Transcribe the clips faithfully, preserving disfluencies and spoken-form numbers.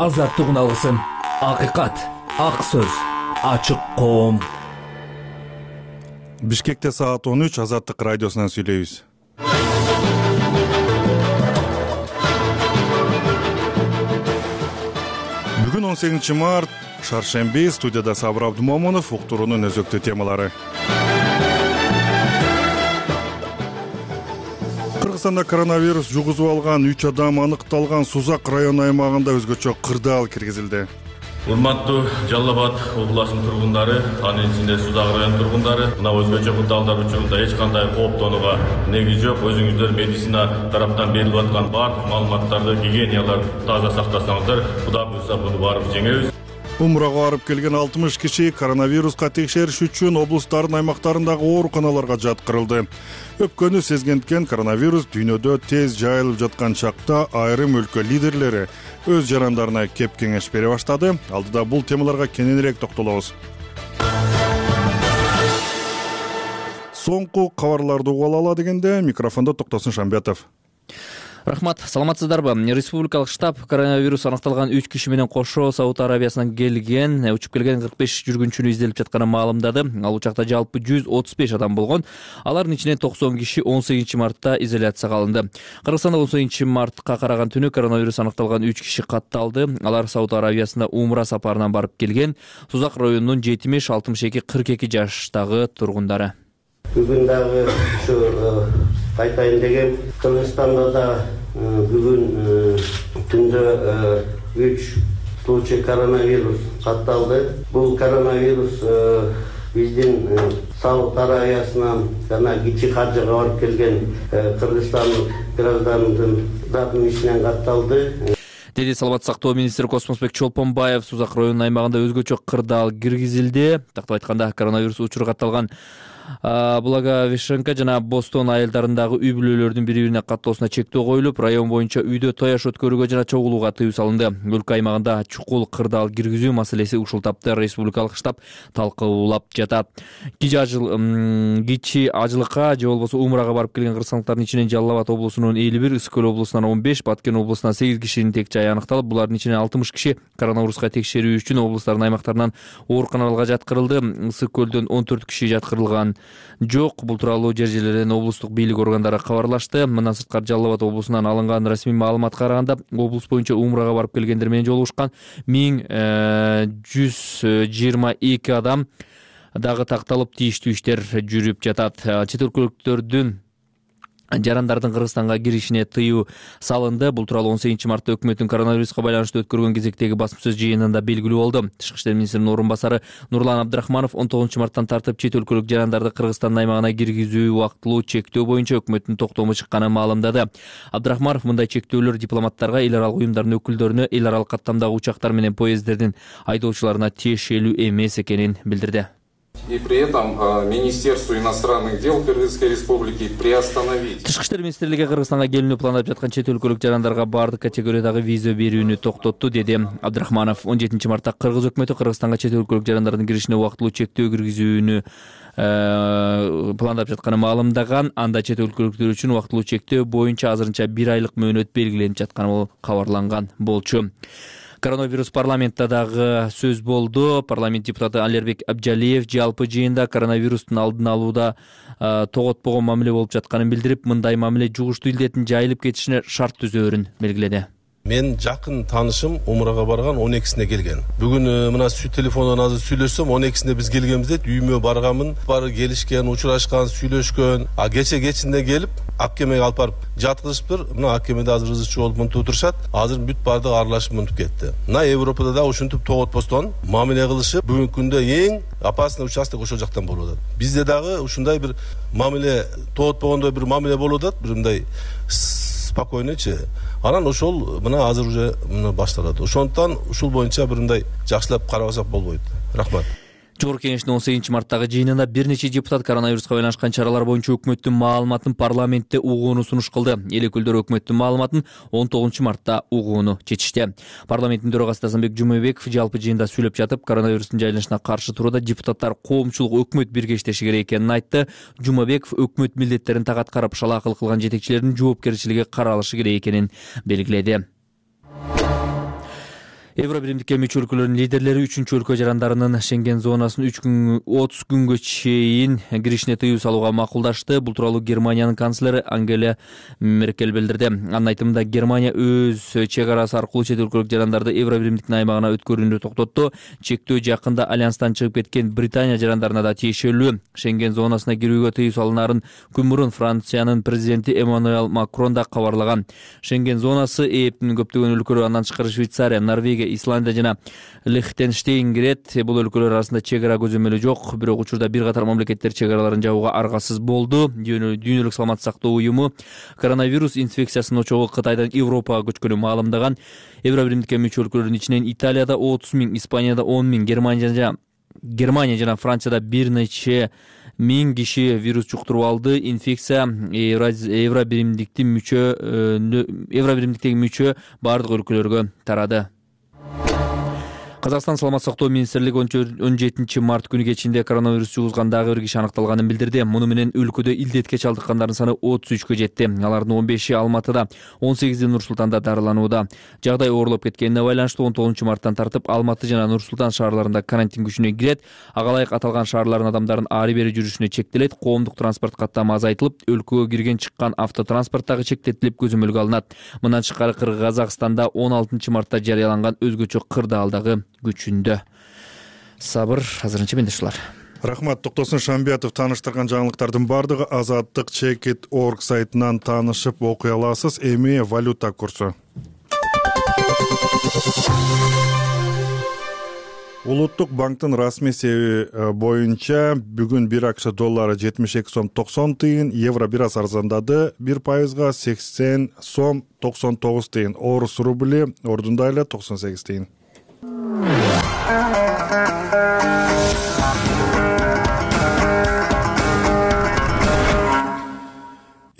азаттык алгысын, акыйкат, ак сөз, ачык коом. Бишкекте саат он үч, Азаттык радиосунан сүйлөйбүз. Бүгүн он сегизинчи март, шаршемби, студияда Сабыр Абдумомунов, уктуруунун өзөктүү темалары. Кыргызстанда коронавирус жугузуп алган үч адам аныкталган. Сузак район аймагында өзгөчө кырдаал киргизилди. Урматтуу Жалал Абад областынын тургундары, анын ичинде Сузак район тургундары, мына өзгөчө кырдаалдар учурунда эч кандай кооптонууга негиз жок. Өзүңүздөр медицина тараптан берилип аткан баардык маалыматтарды, гигиеналарды таза сактасаңыздар, Кудай буйрса буну барып жеңебиз. Умрага барып келген алтымыш киши коронавируска текшериш үчүн облустардын аймактарындагы ооруканаларга жаткырылды. Өпкөнү сезгендкен коронавирус дүйнөдө тез жайылып жаткан чакта айрым өлкө лидерлери өз жарандарына кеп кеңеш бере баштады. Алдыда бул темаларга кененирээк токтолобуз. Соңку кабарларды угуп алалы дегенде микрофондо Токтосун Шамбетов. Рахмат, саламатсыздарбы? Республикалык штаб коронавирус аныкталган үч киши менен кошо Сауд Арабиясынан келген, учуп келген кырк беш жүргүнчүнү изделип жатканын маалымдады. Ал учакта жалпы жүз отуз беш адам болгон. Алардын ичинен токсон киши он сегизинчи мартта изоляцияга алынды. Кыргызстанда он сегизинчи мартка караган түнү коронавирус аныкталган үч киши катталды. Алар Сауд Арабиясында умра сапарынан барып келген. Сузак районунун жетимиш алтымыш эки кырк эки жаштагы тургундары. Бүгүн дагы ушу айтайын деген, Кыргызстанда да бүгүн түндө үч случай коронавирус катталды. Бул коронавирус биздин Сауд Арабиясынан жана кичи каржыга барып келген Кыргызстандык граждандын ичинен катталды. Деди Саламаттык сактоо министри Космосбек Чолпонбаев. Сузак районунун аймагында өзгөчө кырдаал киргизилди. Тактап айтканда, коронавирус учуру катталган Благовещенка жана Бостон айылдарындагы үй бүлөлөрдүн бири-бирине каттоосуна чектөө коюлуп, район боюнча үйдө тояш өткөрүүгө жана чогулууга тыюу салынды. Өлкө аймагында чукул кырдаал киргизүү маселеси ушул тапта республикалык штаб талкуулап жатат. Кичи ажылыкка же болбосо умрага барып келген кыргызстандыктардын ичинен Жалал Абад облусунун элүү бир, Ысык Көл облусунан он беш, Баткен облусунан сегиз кишинин тек жайы аныкталып, булардын ичинен алтымыш киши коронавируска текшерүү үчүн облустардын аймактарынан ооруканаларга жаткырылды. Ысык Көлдөн он төрт киши жаткырылган жок. Бул тууралуу жер жерлерден облустук бийлик органдары кабарлашты. Мындан сырткары Жалал Абад облусунан алынган расмий маалыматка караганда, облус боюнча умрага барып келгендер менен жолугушкан миң жүз жыйырма эки адам дагы такталып, тийиштүү иштер жүрүп жатат. Чет өлкөлүктөрдүн жарандардын Кыргызстанга киришине тыюу салынды. Бул тууралуу он сегизинчи мартта өкмөттүн коронавируска байланыштуу өткөргөн кезектеги басма сөз жыйынында белгилүү болду. Тышкы иштер министринин орун басары Нурлан Абдрахманов он тогузунчу марттан тартып чет өлкөлүк жарандарды Кыргызстандын аймагына киргизүү убактылуу чектөө боюнча өкмөттүн токтому чыкканын маалымдады. Абдрахманов мындай чектөөлөр дипломаттарга, эл аралык уюмдардын өкүлдөрүнө, эл аралык каттамдагы учактар менен поезддердин айдоочуларына тиешелүү эмес экенин билдирди. И при этом Министерству иностранных дел Кыргызской Республики приостановить. Тышкы иштер министрлиги Кыргызстанга келүүнү пландап жаткан чет өлкөлүк жарандарга баардык категориядагы виза берүүнү токтотту, деди Абдрахманов. он жетинчи мартта Кыргыз өкмөтү Кыргызстанга чет өлкөлүк жарандардын киришине убактылуу чектөө киргизүүнү пландап жатканын маалымдаган. Анда чет өлкөлүктөр үчүн убактылуу чектөө боюнча азырынча бир айлык мөөнөт белгиленип жатканы кабарланган болчу. Коронавирус парламентте дагы сөз болду. Парламент депутаты Алербек Абджалиев жалпы жыйында коронавирустун алдын алууда тоготпогон мамиле болуп жатканын билдирип, мындай мамиле жугуштуу илдеттин жайылып кетишине шарт түзөөрүн белгиледи. Мен жакын таанышым умрага барган он экисине келген. Бүгүн мына телефондон азыр сүйлөшсөм, он экисине биз келгенбиз дейт. Үйүмө барганмын, бары келишкен, учурашкан, сүйлөшкөн. А кече кечинде келип, Аккемеге алып барып жаткызышыптыр. Мына Аккемеде азыр ызычы болуп мынтип отурушат. Азыр бүт баардыгы аралашып мынтип кетти. Мына Европада да ушинтип тоготпостон мамиле кылышып, бүгүнкү күндө эң опасный участок ошол жактан болуп атат. Бизде дагы ушундай бир мамиле тоготпогондой бир мамиле болуп атат, бир мындай спокойнойчу. Анан ошол мына азыр уже мына башталат. Ошондуктан ушул боюнча бир мындай жакшылап карабасак болбойт. Рахмат. Жогорку кеңештин он сегизинчи марттагы жыйынында бир нече депутат коронавируска байланышкан чаралар боюнча өкмөттүн маалыматын парламентте угууну сунуш кылды. Эл өкүлдөрү өкмөттүн маалыматын он тогузунчу мартта угууну чечишти. Парламенттин төрагасы Дасанбек Жумабеков жалпы жыйында сүйлөп жатып, коронавирустун жайылышына каршы турууда депутаттар коомчулук өкмөт биргештеши керек экенин айтты. Жумабеков өкмөт милдеттерин так аткарып, шалаакылык кылган жетекчилердин жоопкерчилиги каралышы керек экенин белгиледи. Евро биримдикке мүчө өлкөлөрдүн лидерлери үчүнчү өлкө жарандарынын Шенген зонасын үч күн отуз күнгө чейин киришине тыюу салууга макулдашты. Бул тууралуу Германиянын канцлери Ангела Меркель билдирди. Анын айтымында Германия өз чек арасы аркылуу чет өлкөлүк жарандарды Евро биримдиктин аймагына өткөрүүнү токтотту. Чектөө жакында альянстан чыгып кеткен Британия жарандарына да тиешелүү. Шенген зонасына кирүүгө тыюу салынаарын күн мурун Франциянын президенти Эммануэль Макрон да кабарлаган. Шенген зонасы ээптин көптөгөн өлкөлөр, андан тышкары Швейцария, Норвегия, Исландия жана Лихтенштейн кирет. Бул өлкөлөр арасында чек ара көзөмөлү жок. Бирок учурда бир катар мамлекеттер чек араларын жабууга аргасыз болду. Дүйнөлүк саламаттык сактоо уюму коронавирус инфекциясынын очогу Кытайдан Европага көчкөнүн маалымдаган. Евро биримдикке мүчө өлкөлөрдүн ичинен Италияда отуз миң, Испанияда он миң, Германия жана Германия жана Францияда бир нече миң киши вирус жуктуруп алды. Инфекция Евро биримдиктин мүчө Евро биримдиктеги мүчө бардык өлкөлөргө тарады. Казакстан саламаттык сактоо министрлиги он жетинчи март күнү кечинде коронавирус жугузган дагы бир киши аныкталганын билдирди. Муну менен өлкөдө илдетке чалдыккандардын саны отуз үчкө жетти. Алардын он беши Алматыда, он сегизи Нур Султанда дарыланууда. Жагдай оорлоп кеткенине байланыштуу он тогузунчу марттан тартып Алматы жана Нур Султан шаарларында карантин күчүнө кирет. Ага ылайык аталган шаарлардын адамдарын ары бери жүрүшүнө чектелет. Коомдук транспорт каттамы азайтылып, өлкөгө кирген чыккан автотранспорт дагы чектетилип көзөмөлгө алынат. Мындан тышкары Казакстанда он алтынчы мартта жарыяланган өзгөчө кырдаал дагы күчүндө. Сабыр, азырынча мендешлер. Рахмат. Токтосун Шамбиятов тааныштырган жаңылыктардын бардыгы азаттык чекит точка орг сайтынан таанышып окуй аласыз. Эми валюта курсу. Улуттук банктын расмий эсеби боюнча бүгүн бир акш доллары жетимиш эки сом токсон тыйын, евро бир аз арзандады, бир пайызга сексен сом токсон тогуз тыйын, орус рубли ордунда эле токсон сегиз тыйын.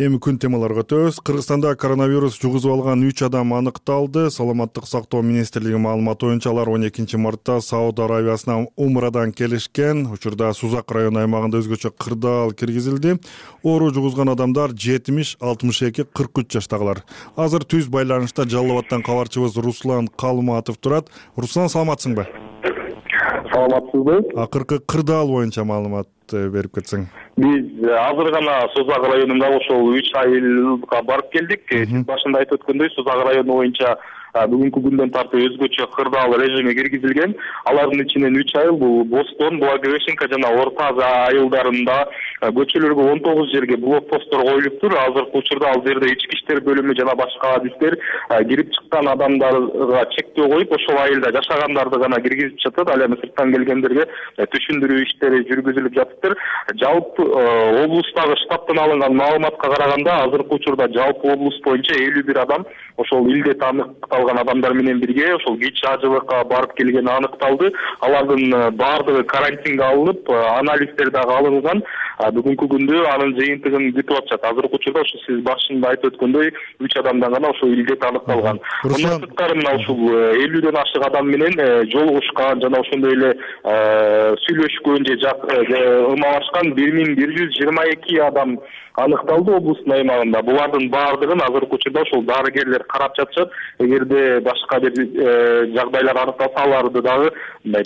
Эми күн темаларга өтөбүз. Кыргызстанда коронавирус жугузуп алган үч адам аныкталды. Саламаттык сактоо министрлиги маалыматы боюнча алар он экинчи мартта Сауд Аравиясынан умрадан келишкен. Учурда Сузак району аймагында өзгөчө кырдаал киргизилди. Оору жугузган адамдар жетимиш, алтымыш эки, кырк үч жаштагылар. Азыр түз байланышта Жалал Абадтан кабарчыбыз Руслан Калматов турат. Руслан, саламатсыңбы? Саламатсызбы? Акыркы кырдаал боюнча маалымат берип кетсең. Биз азыр гана Сузак районунда ошол үч айылга барып келдик. Сиз башында айтып өткөндөй, Сузак району боюнча бүгүнкү күндөн тартып өзгөчө кырдаал режими киргизилген. Алардын ичинен үч айыл бул Бостон, Благовещенка жана Орто Аза айылдарында көчөлөргө он тогуз жерге блокпосттор коюлуптур. Азыркы учурда ал жерде ички иштер бөлүмү жана башка адистер кирип чыккан адамдарга чектөө коюп, ошол айылда жашагандарды гана киргизип жатат. Ал эми сырттан келгендерге түшүндүрүү иштери жүргүзүлүп жатыптыр. Жалпы облустагы штабтан алынган маалыматка караганда, азыркы учурда жалпы облус боюнча элүү бир адам ошол илдет аныкталган адамдар менен бирге ошол КИЧ ажылыкка барып келгени аныкталды. Алардын баардыгы карантинге алынып, анализдер дагы алынган. Бүгүнкү күндө анын жыйынтыгын күтүп атышат. Азыркы учурда ошо сиз башында айтып өткөндөй үч адамдан гана ошол илдет аныкталган. Мындан сырткары мына ушул элүүдөн ашык адам менен жолугушкан жана ошондой эле сүйлөшкөн же ымалашкан бир миң бир жүз жыйырма эки адам аныкталды облустун аймагында. Булардын баардыгын азыркы учурда ошол дарыгерлер карап жатышат. Эгерде башка бир жагдайлар аныкталса, аларды дагы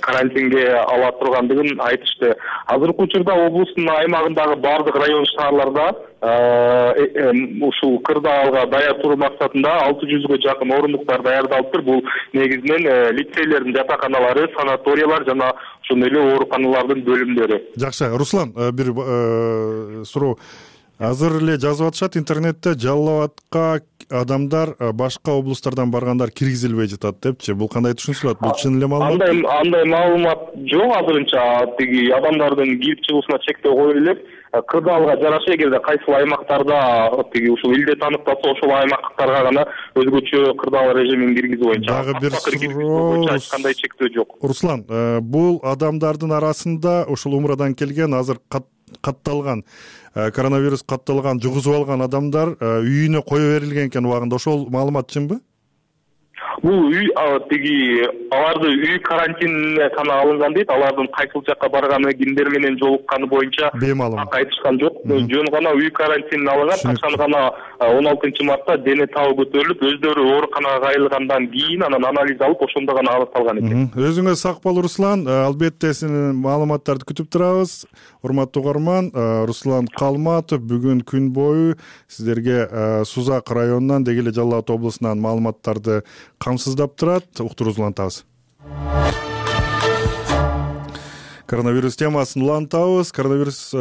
карантинге ала тургандыгын айтышты. Азыркы учурда облустун аймагындагы баардык район шаарларда ушул кырдаалга даяр туруу максатында алты жүзгө жакын орундуктар даярдалыптыр. Бул негизинен лицейлердин жатаканалары, санаториялар жана ошондой эле ооруканалардын бөлүмдөрү. Жакшы. Руслан, бир суроо. Азыр эле жазып атышат интернетте, Жалал Абадка адамдар башка облустардан баргандар киргизилбей жатат депчи. Бул кандай түшүнүлөт? Бул чын эле маалымат? Андай андай маалымат жок азырынча. Тиги адамдардын кирип чыгуусуна чектөө коюлуп, кырдаалга жараша эгерде кайсыл аймактарда тиги ушул илдет аныкталса, ошол аймактарга гана өзгөчө кырдаал режимин киргизүү боюнча. Дагы бир суроо. Кандай чектөө жок. Руслан, бул адамдардын арасында ушул умрадан келген, азыр катталган коронавирус катталган, жугузуп алган адамдар үйүнө кое берилген экен убагында. Ошол маалымат чынбы? бул үй тиги аларды үй карантинине гана алынган дейт. Алардын кайсыл жакка барганы, кимдер менен жолукканы боюнча так айтышкан жок. Жөн гана үй карантинине алынган. Качан гана он алтынчы мартта дене табы көтөрүлүп, өздөрү ооруканага кайрылгандан кийин анан анализ алып, ошондо гана аныкталган экен. Өзүңө сак бол, Руслан. Албетте сенин маалыматтарды күтүп турабыз. Урматтуу угарман, Руслан Калматов бүгүн күн бою сиздерге Сузак районунан, деги эле Жалал Абад облусунан маалыматтарды камсыздап турат. Уктуруубузду улантабыз. Коронавирус темасын улантабыз. Коронавирус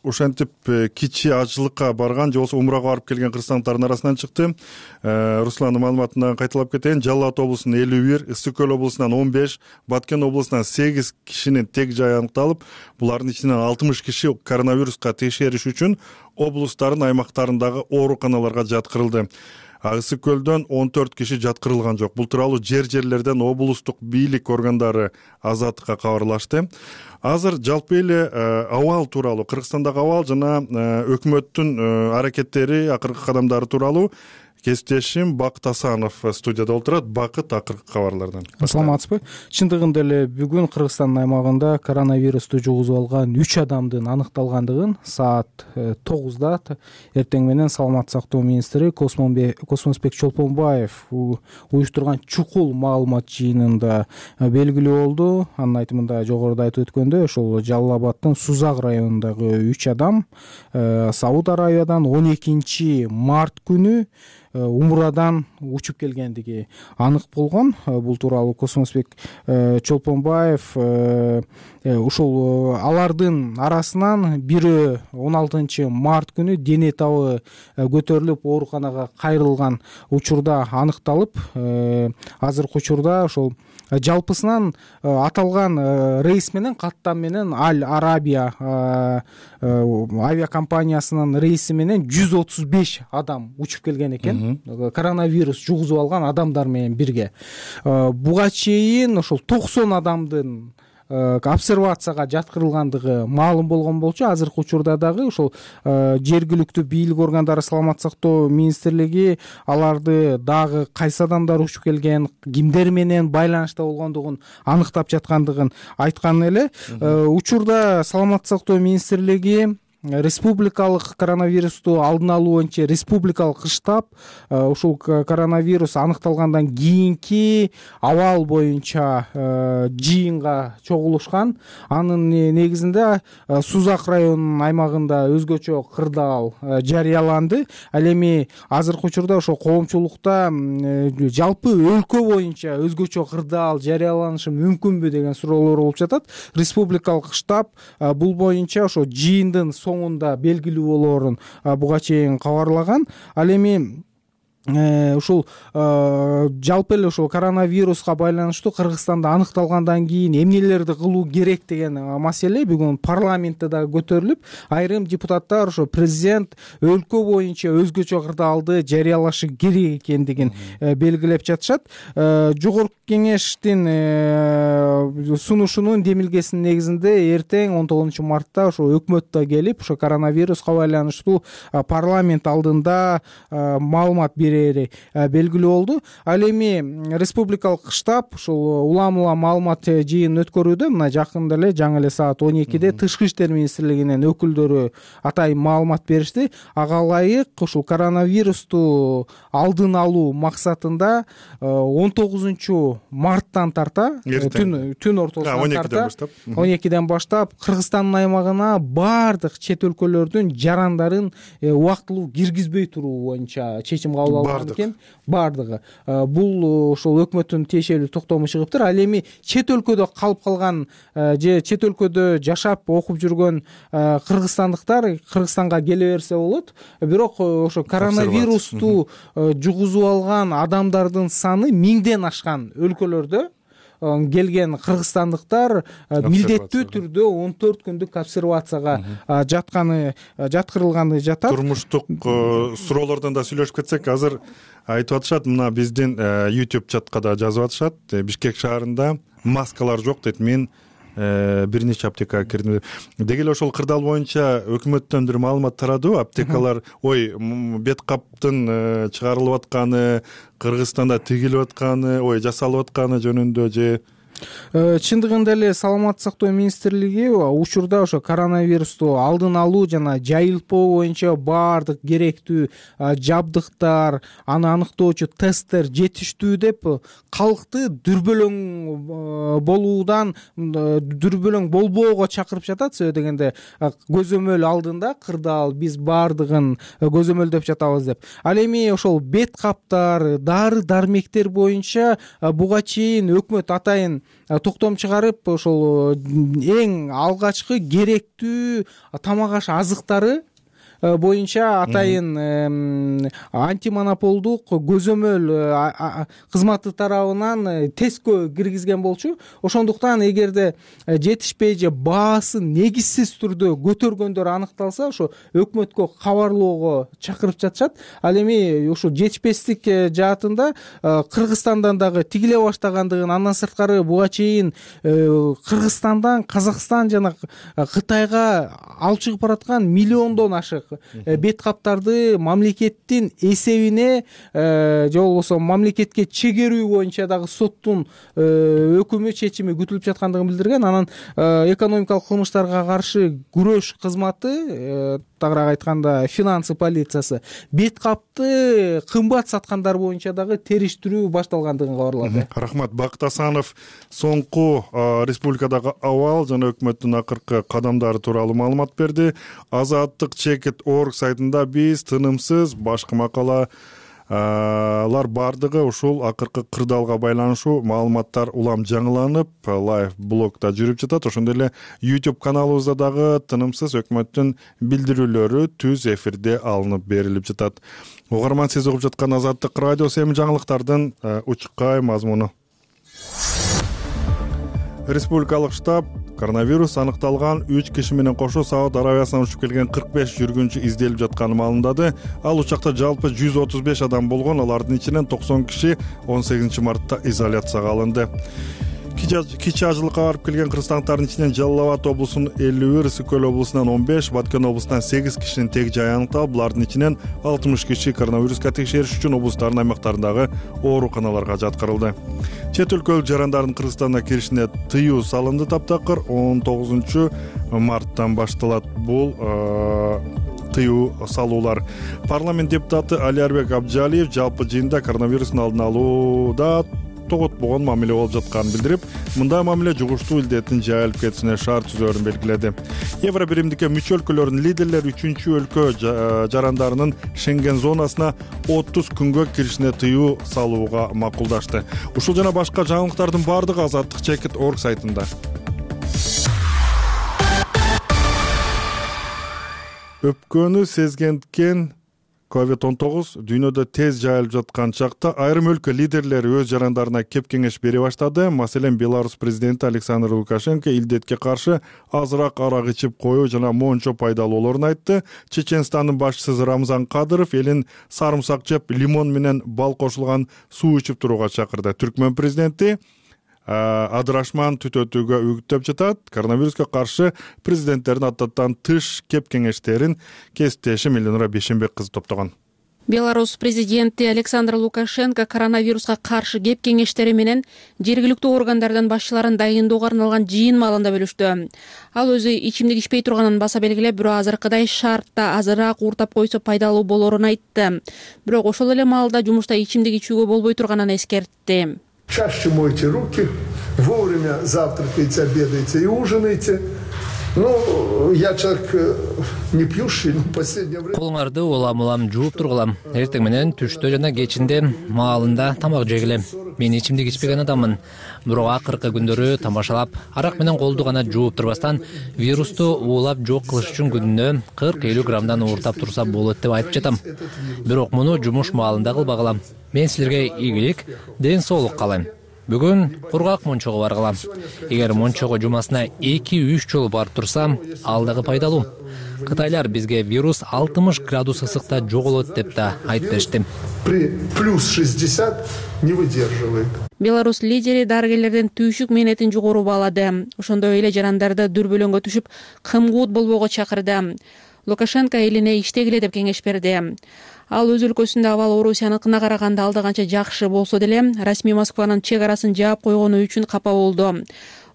ошентип кичи ажылыкка барган же болбосо умрага барып келген кыргызстандыктардын арасынан чыкты. Русландын маалыматынан кайталап кетейин. Жалал Абад облусунун элүү бир, Ысык Көл облусунан он беш, Баткен облусунан сегиз кишинин тег жайы аныкталып, булардын ичинен алтымыш киши коронавируска текшериш үчүн облустардын аймактарындагы ооруканаларга жаткырылды. Ысык Көлдөн он төрт киши жаткырылган жок. Бул тууралуу жер жерлерден облустук бийлик органдары Азаттыкка кабарлашты. Азыр жалпы эле абал тууралуу, Кыргызстандагы абал жана өкмөттүн аракеттери, акыркы кадамдары тууралуу кесиптешим Бакыт Асанов студияда отурат. Бакыт, акыркы кабарлардан. Саламатсызбы? Чындыгында эле бүгүн Кыргызстандын аймагында коронавирусту жугузуп алган үч адамдын аныкталгандыгын саат тогузда эртең менен Саламаттык сактоо министри Космонбек Чолпонбаев уюштурган чукул маалымат жыйынында белгилүү болду. Анын айтымында жогоруда айтып өткөндөй, ошол Жалал Абаддын Сузак районундагы үч адам Сауд Аравиядан он экинчи март күнү умрадан учуп келгендиги анык болгон. Бул тууралуу Космонбек Чолпонбаев ушул алардын арасынан бирөө он алтынчы март күнү дене табы көтөрүлүп ооруканага кайрылган учурда аныкталып, азыркы учурда ошол жалпысынан аталган рейс менен, каттам менен Аль Арабия авиакомпаниясынын рейси менен жүз отуз беш адам учуп келген экен. Коронавирус жугузуп алган адамдар менен бирге. Буга чейин ошол токсон адамдын обсервацияга жаткырылгандыгы маалым болгон болчу. Азыркы учурда дагы ошол жергиликтүү бийлик органдары, Саламаттык сактоо министрлиги аларды дагы кайсы адамдар учуп келген, кимдер менен байланышта болгондугун аныктап жаткандыгын айткан эле. Учурда Саламаттык сактоо министрлиги республикалык коронавирусту алдын алуу боюнча республикалык штаб ушул коронавирус аныкталгандан кийинки абал боюнча жыйынга чогулушкан. Анын негизинде Сузак районунун аймагында өзгөчө кырдаал жарыяланды. Ал эми азыркы учурда ошо коомчулукта жалпы өлкө боюнча өзгөчө кырдаал жарыяланышы мүмкүнбү деген суроолор болуп жатат. Республикалык штаб бул боюнча ошо жыйындын соңунда белгилүү болоорун буга чейин кабарлаган. Ал эми ушул жалпы эле ушул коронавируска байланыштуу Кыргызстанда аныкталгандан кийин эмнелерди кылуу керек деген маселе бүгүн парламентте да көтөрүлүп, айрым депутаттар ошо президент өлкө боюнча өзгөчө кырдаалды жарыялашы керек экендигин белгилеп жатышат. Жогорку кеңештин сунушунун демилгесинин негизинде эртең он тогузунчу мартта ошо өкмөт да келип, ошо коронавируска байланыштуу парламент алдында маалымат берет белгилүү болду. Ал эми республикалык штаб ушул улам улам маалымат жыйынын өткөрүүдө. Мына жакында эле жаңы эле саат он экиде Тышкы иштер министрлигинин өкүлдөрү атайын маалымат беришти. Ага ылайык ушул коронавирусту алдын алуу максатында он тогузунчу марттан тарта, түн түн ортосунан тарта, он экиден баштап Кыргызстандын аймагына баардык чет өлкөлөрдүн жарандарын убактылуу киргизбей туруу боюнча чечим кабыл алган экен. Баардыгы бул ошол өкмөттүн тиешелүү токтому чыгыптыр. Ал эми чет өлкөдө калып калган же чет өлкөдө жашап окуп жүргөн кыргызстандыктар Кыргызстанга келе берсе болот. Бирок ошо коронавирусту жугузуп алган адамдардын саны миңден ашкан өлкөлөрдө келген кыргызстандыктар милдеттүү түрдө он төрт күндүк обсервацияга жатканы жаткырылганы жатат. Турмуштук суроолордон да сүйлөшүп кетсек, азыр айтып атышат, мына биздин YouTube чатка да жазып атышат. Бишкек шаарында маскалар жок дейт. Мен бир нече аптекага кирдим. Деги эле ошол кырдаал боюнча өкмөттөн бир маалымат тарадыбы? Аптекалар ой бет каптын чыгарылып атканы, Кыргызстанда тигилип атканы, ой жасалып атканы жөнүндө же чындыгында эле саламаттык сактоо министрлиги учурда ошо коронавирусту алдын алуу жана жайылпоо боюнча баардык керектүү жабдыктар, аны аныктоочу тесттер жетиштүү деп калкты дүрбөлөң болуудан дүрбөлөң болбоого чакырып жатат. Себеби дегенде көзөмөл алдында кырдаал биз баардыгын көзөмөлдөп жатабыз деп. Ал эми ошол бет каптар, дары дармектер боюнча буга чейин өкмөт атайын токтом чыгарып ошол эң алгачкы керектүү тамак аш азыктары боюнча атайын антимонополдук көзөмөл кызматы тарабынан тесткө киргизген болчу. Ошондуктан эгерде жетишпей же баасы негизсиз түрдө көтөргөндөр аныкталса, ошо өкмөткө кабарлоого чакырып жатышат. Ал эми ошо жетишпестик жаатында Кыргызстандан дагы тигиле баштагандыгын, андан сырткары буга чейин Кыргызстандан Казакстан жана Кытайга алып чыгып бараткан миллиондон ашык бет каптарды мамлекеттин эсебине же болбосо мамлекетке чегерүү боюнча дагы соттун өкүмү, чечими күтүлүп жаткандыгын билдирген. Анан экономикалык кылмыштарга каршы күрөш кызматы, тагыраак айтканда финансы полициясы, бет капты кымбат саткандар боюнча дагы териштирүү башталгандыгын кабарлады. Рахмат. Бакыт Асанов соңку республикадагы абал жана өкмөттүн акыркы кадамдары тууралуу маалымат берди. Азаттык чекит орг сайтында биз тынымсыз башкы макалалар бардыгы ушул акыркы кырдаалга байланыштуу маалыматтар улам жаңыланып, лайв блогда жүрүп жатат. Ошондой эле YouTube каналыбызда дагы тынымсыз өкмөттүн билдирүүлөрү түз эфирде алынып берилип жатат. Угарман, сиз угуп жаткан Азаттык радиосу эми жаңылыктардын учкай мазмуну. Республикалык штаб коронавирус аныкталган үч киши менен кошо Сауд Арабиясынан учуп келген кырк беш жүргүнчү изделип жатканын маалымдады. Ал учакта жалпы жүз отуз беш адам болгон, алардын ичинен токсон киши он сегизинчи мартта изоляцияга алынды. Кичи ажылыкка барып келген кыргызстандыктардын ичинен Жалал Абад облусунун элүү бир, Ысык Көл облусунан он беш, Баткен облусунан сегиз кишинин тег жайы аныкталып, булардын ичинен алтымыш киши коронавируска текшериш үчүн облустардын аймактарындагы ооруканаларга жаткырылды. Чет өлкөлүк жарандардын Кыргызстанга киришине тыюу салынды. Таптакыр он тогузунчу марттан башталат бул тыюу салуулар. Парламент депутаты Алиарбек Абджалиев жалпы жыйында коронавирустун алдын алууда тоготпогон мамиле болуп жатканын билдирип, мындай мамиле жугуштуу илдеттин жайылып кетишине шарт түзөөрүн белгиледи. Евро биримдикке мүчө өлкөлөрдүн лидерлери үчүнчү өлкө жарандарынын Шенген зонасына отуз күнгө киришине тыюу салууга макулдашты. Ушул жана башка жаңылыктардын бардыгы азаттык чекит орг сайтында. Өпкөнү сезгенткен ковид он тогуз дүйнөдө тез жайылып жаткан чакта айрым өлкө лидерлери өз жарандарына кеп кеңеш бере баштады. Маселен, Беларусь президенти Александр Лукашенко илдетке каршы азыраак арак ичип коюу жана мончо пайдалуу болоорун айтты. Чеченстандын башчысы Рамзан Кадыров элин сарымсак жеп, лимон менен бал кошулган суу ичип турууга чакырды. Түркмөн президенти адырашман түтөтүүгө үгүттөп жатат. Коронавируска каршы президенттердин адаттан тыш кеп кеңештерин кесиптешим Элнура Бешенбек кызы топтогон. Беларусь президенти Александр Лукашенко коронавируска каршы кеп кеңештери менен жергиликтүү органдардын башчыларын дайындоого арналган жыйын маалында бөлүштү. Ал өзү ичимдик ичпей турганын баса белгилеп, бирок азыркыдай шартта азыраак ууртап койсо пайдалуу болоорун айтты. Бирок ошол эле маалда жумушта ичимдик ичүүгө болбой турганын эскертти. Чаще мойте руки, вовремя завтракайте, обедайте и ужинайте. Ну, я человек не пьющий, но в последнее время... Колуңарды улам-улам жууп тургулам. Эртең менен түштө жана кечинде маалында тамак жегиле. Мен ичимдик ичпеген адаммын. Бирок акыркы күндөрү тамашалап, арак менен колду гана жууп турбастан вирусту уулап жок кылыш үчүн күнүнө кырк элүү граммдан ууртап турса болот деп айтып жатам. Бирок муну жумуш маалында кылбагыла. Мен силерге ийгилик, ден соолук каалайм. Бүгүн кургак Мончого баргылам. Эгер Мончого жумасына эки үч жолу барып турсам, ал дагы пайдалуу. Кытайлар бизге вирус алтымыш градус ысыкта жоголот деп да айтып беришти. При плюс шестьдесят не выдерживает. Беларусь лидери дарыгерлердин түйшүк мээнетин жогору баалады. Ошондой эле жарандарды дүрбөлөңгө түшүп, кымгуут болбоого чакырды. Лукашенко элине иштегиле деп кеңеш берди. Ал өз өлкөсүндө абал Орусияныкына караганда алда канча жакшы болсо деле, расмий Москванын чек арасын жаап койгону үчүн капа болду.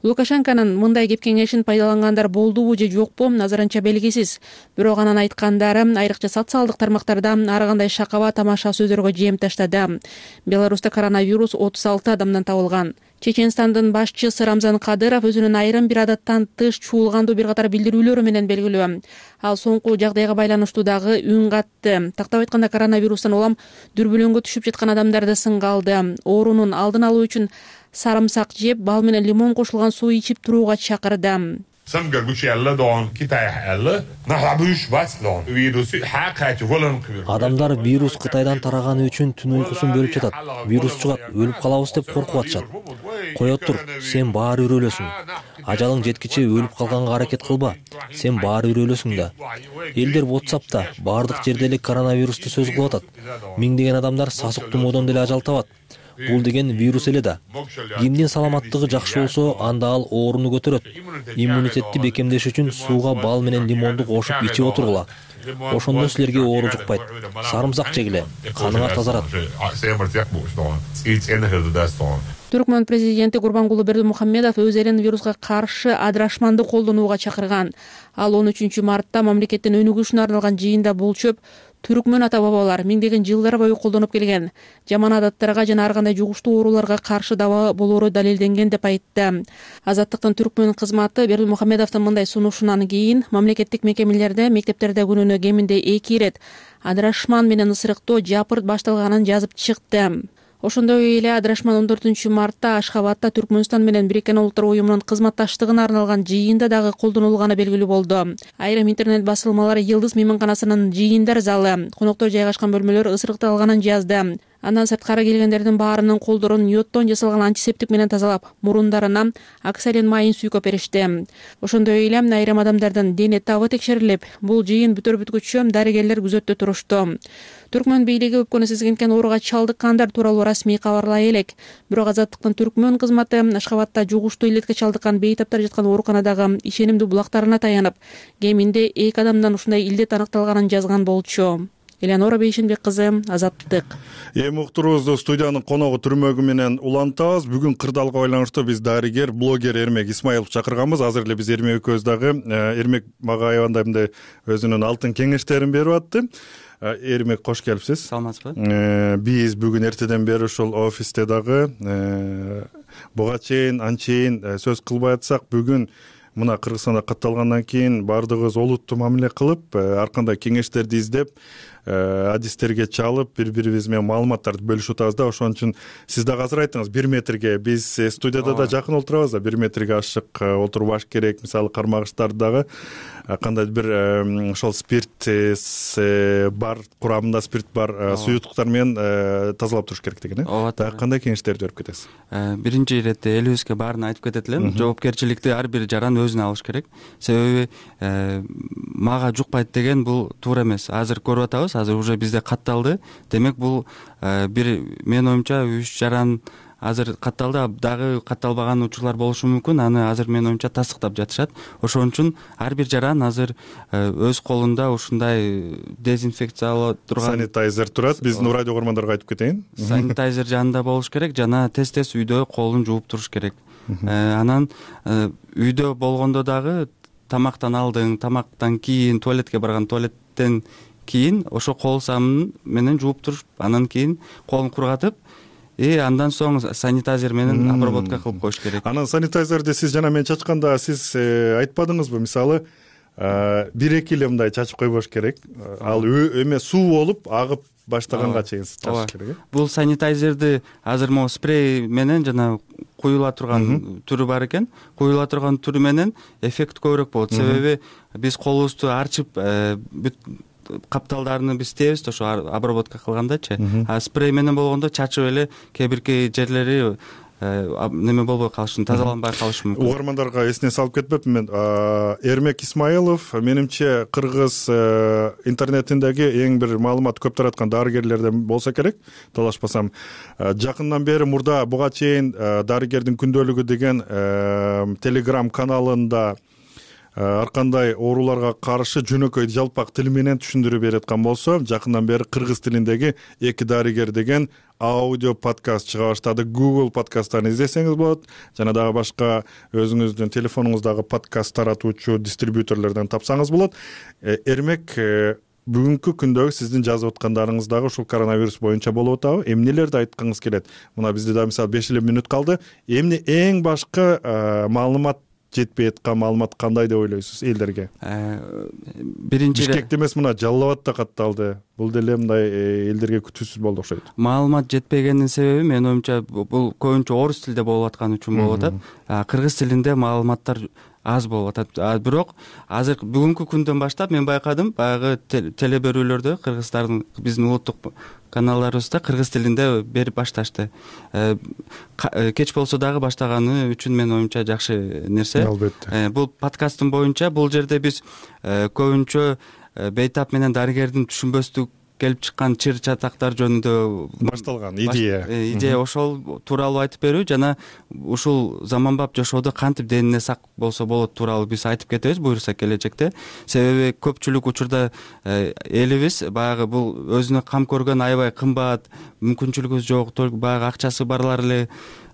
Лукашенконун мындай кеп кеңешин пайдалангандар болдубу же жокпу, назарынча белгисиз. Бирок анын айткандары айрыкча социалдык тармактарда ар кандай шакаба тамаша сөздөргө жем таштады. Беларусьта коронавирус отуз алты адамдан табылган. Чеченстандын башчысы Рамзан Кадыров өзүнүн айрым бир адаттан тыш чуулгандуу бир катар билдирүүлөрү менен белгилүү. Ал соңку жагдайга байланыштуу дагы үн катты. Тактап айтканда, коронавирустан улам дүрбөлөңгө түшүп жаткан адамдарды сынга алды. Оорунун алдын алуу үчүн sarımsak жеп, бал менен лимон кошулган суу ичип турууга чакырды. Адамдар вирус Кытайдан тараганы үчүн түн уйкусун бөлүп жатат. Вирус чыгат, өлүп калабыз деп коркуп атышат. Кое тур, сен баары бир өлөсүң. Ажалың жеткиче өлүп калганга аракет кылба. Сен баары бир өлөсүң да. Элдер WhatsApp'та баардык жерде эле коронавирусту сөз кылып атат. Миңдеген адамдар сасык тумоодон деле ажал табат. Бул деген вирус эле да. Кимдин саламаттыгы жакшы болсо, анда ал ооруну көтөрөт. Иммунитетти бекемдеш үчүн сууга бал менен лимонду кошуп ичип отургула. Ошондо силерге оору жукпайт. Сарымсак жегиле, каныңар тазарат. Түркмөн президенти Гурбангулы Бердимухамедов өз элин вируска каршы адырашманды колдонууга чакырган. Ал он үчүнчү мартта мамлекеттин өнүгүшүнө арналган жыйында бул чөп түркмөн ата бабалар миңдеген жылдар бою колдонуп келген жаман адаттарга жана ар кандай жугуштуу ооруларга каршы даба болоору далилденген деп айтты. Азаттыктын түркмөн кызматы Бердимухамедовдун мындай сунушунан кийин мамлекеттик мекемелерде, мектептерде күнүнө кеминде эки ирет адырашман менен ысырыктоо жапырт башталганын жазып чыкты. Ошондой эле адырашман он төртүнчү мартта Ашхабадда Түркмөнстан менен Бириккен Улуттар уюмунун кызматташтыгына арналган жыйында дагы колдонулганы белгилүү болду. Айрым интернет басылмалар Йылдыз мейманканасынын жыйындар залы, коноктор жайгашкан бөлмөлөр ысырыкталганын жазды. Андан сырткары келгендердин баарынын колдорун йоддон жасалган антисептик менен тазалап, мурундарына оксалин майын сүйкөп беришти. Ошондой эле айрым адамдардын дене табы текшерилип, бул жыйын бүтөр бүткүчө дарыгерлер күзөттө турушту. Түркмөн бийлиги өпкөнү сезгенкен ооруга чалдыккандар тууралуу расмий кабарлай элек. Бирок Азаттыктын түркмөн кызматы Ашхабадда жугуштуу илетке чалдыккан бейтаптар жаткан ооруканадагы ишенимдүү булактарына таянып, кеминде эки адамдан ушундай илдет аныкталганын жазган болчу. Элеонора Бейшенбек кызы, Азаттык. Эми уктуруубузду студиянын коногу түрмөгү менен улантабыз. Бүгүн кырдаалга байланыштуу биз дарыгер, блогер Эрмек Исмаилов чакырганбыз. Азыр эле биз Эрмек экөөбүз дагы Эрмек мага аябандай мындай өзүнүн алтын кеңештерин берип атты. Эрмек, кош келипсиз. Саламатсызбы? Биз бүгүн эртеден бери ушул офисте дагы буга чейин анчейин сөз кылбай атсак, бүгүн мына Кыргызстанда катталгандан кийин баардыгыбыз олуттуу мамиле кылып, ар кандай кеңештерди издеп, адистерге чалып, бири-бирибиз менен маалыматтарды бөлүшүп атабыз да. Ошон үчүн сиз дагы азыр айттыңыз, бир метрге биз студияда да жакын отурабыз да, бир метрге ашык отурбаш керек. Мисалы кармагыштарды дагы кандайдыр бир ошол спирт бар, курамында спирт бар суюктуктар менен тазалап туруш керек деген э. Дагы кандай кеңештерди берип кетесиз? Биринчи иретте элибизге баарын айтып кетет элем. Жоопкерчиликти ар бир жаран өзүнө алыш керек. Себеби мага жукпайт деген бул туура эмес. Азыр көрүп атабыз, азыр уже бизде катталды. Демек бул бир, менин оюмча, үч жаран азыр катталды, дагы катталбаган учурлар болушу мүмкүн. Аны азыр менин оюмча тастыктап жатышат. Ошон үчүн ар бир жаран азыр өз колунда ушундай дезинфекциялоо турган санитайзер турат. Биздин радио көрөрмандарга айтып кетейин. Санитайзер жанында болуш керек жана тез-тез үйдө колун жууп туруш керек. Анан үйдө болгондо дагы тамактан алдың, тамактан кийин, туалетке барган, туалеттен кийин ошо кол самын менен жууп туруп, анан кийин колун кургатып, и андан соң санитайзер менен обработка кылып коюш керек. Анан санитайзерди сиз жана мен чачканда сиз айтпадыңызбы? Мисалы, бир-эки эле мындай чачып койбош керек. Ал эме суу болуп агып баштаганга чейин чачыш керек. Бул санитайзерди азыр могу спрей менен жана куюла турган түрү бар экен. Куюла турган түрү менен эффект көбүрөөк болот. Себеби биз колубузду арчып, бүт капталдарын биз тебиз, ошо обработка кылгандачы. А спрей менен болгондо чачып эле кээ бирки жерлери неме болбой калышы, тазаланбай калышы мүмкүн. Угармандарга эсине салып кетпепмин мен. Эрмек Исмаилов менимче кыргыз интернетиндеги эң бир маалымат көп тараткан дарыгерлерден болсо керек, талашпасам. Жакындан бери мурда буга чейин дарыгердин күндөлүгү деген Telegram каналында ар кандай ооруларга каршы жөнөкөй жалпак тил менен түшүндүрүп бераткан болсо, жакындан бери кыргыз тилиндеги эки дарыгер деген аудио подкаст чыга баштады. Google подкасттан издесеңиз болот, жана дагы башка өзүңүздүн телефонуңуздагы подкаст таратуучу дистрибьюторлордон тапсаңыз болот. Эрмек, бүгүнкү күндөгү сиздин жазып аткандарыңыз дагы ушул коронавирус боюнча болуп атабы? Эмнелерди айткыңыз келет? Мына бизде да мисалы беш эле мүнөт калды. Эмне эң башкы маалымат жетпей аткан маалымат кандай деп ойлойсуз элдерге? Биринчи Бишкекте эмес, мына Жалал Абадта катталды. Бул деле мындай элдерге күтүүсүз болду окшойт. Маалымат жетпегенин себеби менин оюмча бул көбүнчө орус тилде болуп атканы үчүн болуп атат. Кыргыз тилинде маалыматтар аз болуп атат. Бирок азыр бүгүнкү күндөн баштап мен байкадым, баягы теле берүүлөрдө кыргыздардын биздин улуттук каналдарыбызда кыргыз тилинде берип башташты. Кеч болсо дагы баштаганы үчүн менин оюмча жакшы нерсе. Албетте. Бул подкасттын боюнча бул жерде биз көбүнчө бейтап менен дарыгердин түшүнбөстүк келип чыккан чыр чатактар жөнүндө башталган идея. Идея ошол тууралуу айтып берүү жана ушул заманбап жашоодо кантип денine сак болсо болот тууралуу биз айтып кетебиз буюрса келечекте. Себеби көпчүлүк учурда элибиз баягы бул өзүнө кам көргөн аябай кымбат, мүмкүнчүлүгү жок, баягы акчасы барлар эле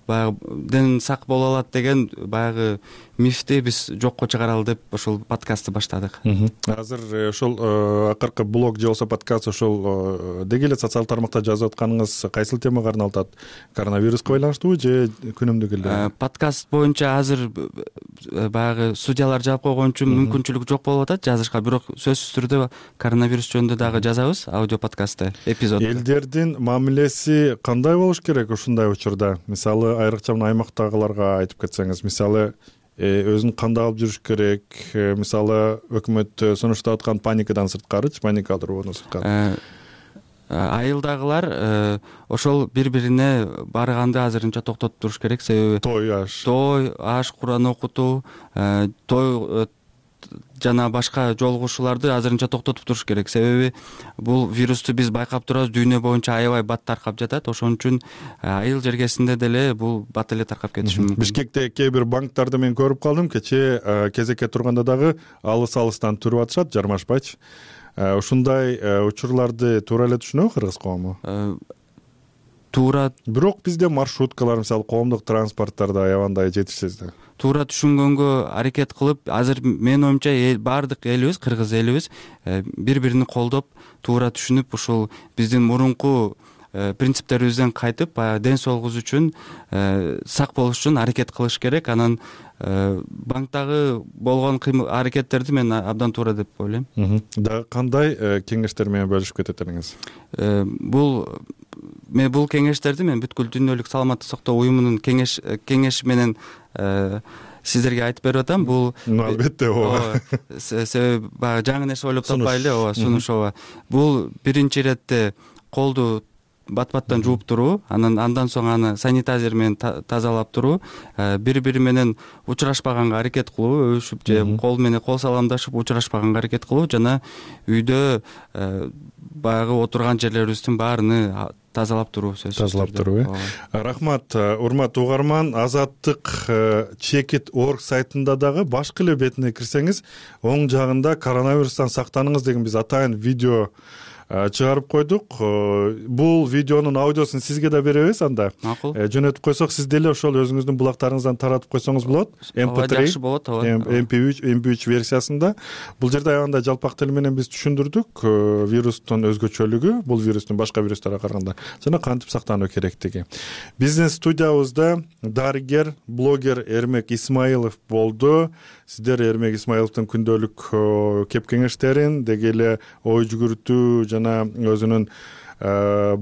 баягы ден сак боло алат деген баягы мифти биз жокко чыгаралы деп ошол подкастты баштадык. Азыр ошол акыркы блог же болбосо подкаст ошол деги эле социалдык тармакта жазып атканыңыз кайсыл темага арналып атат? Коронавируска байланыштуубу же күнүмдүк эле? Подкаст боюнча азыр баягы судьялар жаап койгон үчүн мүмкүнчүлүк жок болуп атат жазышка, бирок сөзсүз түрдө коронавирус жөнүндө дагы жазабыз аудио подкастты, эпизод. Элдердин мамилеси кандай болуш керек ушундай учурда? Мисалы айрыкча мына аймактагыларга айтып кетсеңиз, мисалы өзүн кандай алып жүрүш керек? Мисалы өкмөт сунуштап аткан паникадан сырткарычы, паника алдыруудан сырткары. Айылдагылар ошол бири-бирине барганды азырынча токтотуп туруш керек, себеби той аш, той аш, Куран окутуу, той жана башка жолугушууларды азырынча токтотуп туруш керек. Себеби бул вирусту биз байкап турабыз, дүйнө боюнча аябай бат таркап жатат. Ошон үчүн айыл жергесинде деле бул бат эле таркап кетиши мүмкүн. Бишкекте кээ бир банктарды мен көрүп калдым, кечээ кезекке турганда дагы алыс-алыстан туруп атышат, жармашпайчы. Ушундай учурларды туура эле түшүнөбү кыргыз коому? Туура. Бирок бизде маршруткалар, мисалы коомдук транспорттарда аябандай жетишсиз да. Туура түшүнгөнгө аракет кылып, азыр менин оюмча баардык элибиз, кыргыз элибиз бири-бирини колдоп, туура түшүнүп, ушул биздин мурунку принциптерибизден кайтып, баягы ден соолугубуз үчүн, сак болуш үчүн аракет кылыш керек. Анан банктагы болгон аракеттерди мен абдан туура деп ойлойм. Дагы кандай кеңештер менен бөлүшүп кетет элеңиз? Бул мен бул кеңештерди мен бүткүл дүйнөлүк саламаттык сактоо уюмунун кеңеш кеңеши менен сиздерге айтып берип атам. Бул албетте ооба. Себеби баягы жаңы нерсе ойлоп таппай эле, ооба, сунуш, ооба. Бул биринчи иретте колду бат-баттан жууп туруу, анан андан соң аны санитайзер менен тазалап туруу, бири-бири менен учурашпаганга аракет кылуу, өбүшүп же кол менен кол саламдашып учурашпаганга аракет кылуу жана үйдө баягы отурган жерлерибиздин баарыны тазалап туруу, сөзсүз. Тазалап туруу, э. Рахмат, урматтуу угарман. Азаттык чекит орг сайтында дагы башкы эле бетине кирсеңиз, оң жагында коронавирустан сактаныңыз деген биз атайын видео чыгарып койдук. Бул видеонун аудиосун сизге да беребиз анда. Макул. Жөнөтүп койсок, сиз деле ошол өзүңүздүн булактарыңыздан таратып койсоңуз болот. эм пэ три, жакшы болот, ооба. эм пэ үч, эм пэ үч версиясында. Бул жерде аябай жалпак тил менен биз түшүндүрдүк вирустун өзгөчөлүгү, бул вирустун башка вирустарга караганда жана кантип сактануу керектиги. Биздин студиябызда дарыгер, блогер Эрмек Исмаилов болду. Сиздер Эрмек Исмаиловдун күндөлүк кеп кеңештерин, деги эле ой жүгүртүү жана өзүнүн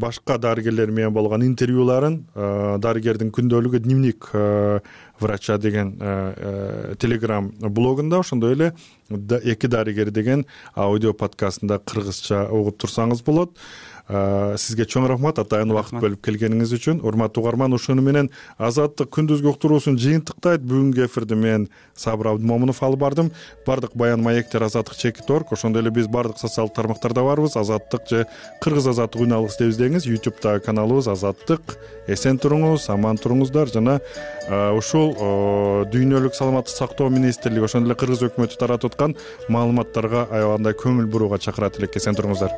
башка дарыгерлер менен болгон интервьюларын, дарыгердин күндөлүгү дневник врача деген Telegram блогунда, ошондой эле эки дарыгер деген аудио подкастында кыргызча угуп турсаңыз болот. сизге чоң рахмат атайын убакыт бөлүп келгениңиз үчүн. Урматтуу угарман, ушуну менен Азаттык күндүзгү уктуруусун жыйынтыктайт. Бүгүнкү эфирди мен Сабыр Абдымомунов алып бардым. Бардык баян маектер Азаттык чекит орг, ошондой эле биз бардык социалдык тармактарда барбыз. Азаттык же Кыргыз Азаттык үн алгыс деп издеңиз. YouTube'дагы каналыбыз Азаттык. Эсен туруңуз, аман туруңуздар жана ушул дүйнөлүк саламаттык сактоо министрлиги ошондой эле Кыргыз өкмөтү таратып аткан маалыматтарга аябагандай көңүл бурууга чакырат элек. Эсен туруңуздар.